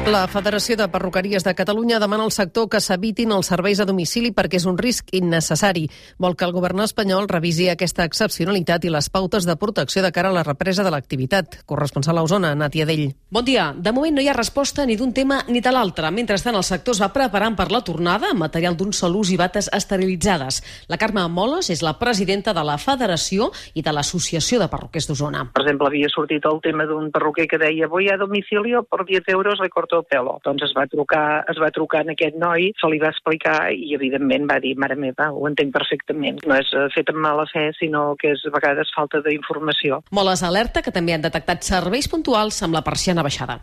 La Federació de Perruqueries de Catalunya demana al sector que s'evitin els serveis a domicili perquè és un risc innecessari. Vol que el govern espanyol revisi aquesta excepcionalitat i les pautes de protecció de cara a la represa de l'activitat. Corresponsal a Osona, Nàtia Dell. Bon dia. De moment no hi ha resposta ni d'un tema ni de l'altre. Mentrestant, el sector es va preparant per la tornada amb material d'un sol ús i bates esterilitzades. La Carme Moles és la presidenta de la Federació i de l'Associació de Perruquers d'Osona. Per exemple, havia sortit el tema d'un perruquer que deia voy a domicilio por 10 euros le corto el pelo. Doncs es va trucar en aquest noi, se li va explicar i evidentment va dir, mare meva, ho entenc perfectament. No és fet amb mala fe, sinó que és a vegades falta d'informació. Moles alerta que també han detectat serveis puntuals amb la persiana baixada.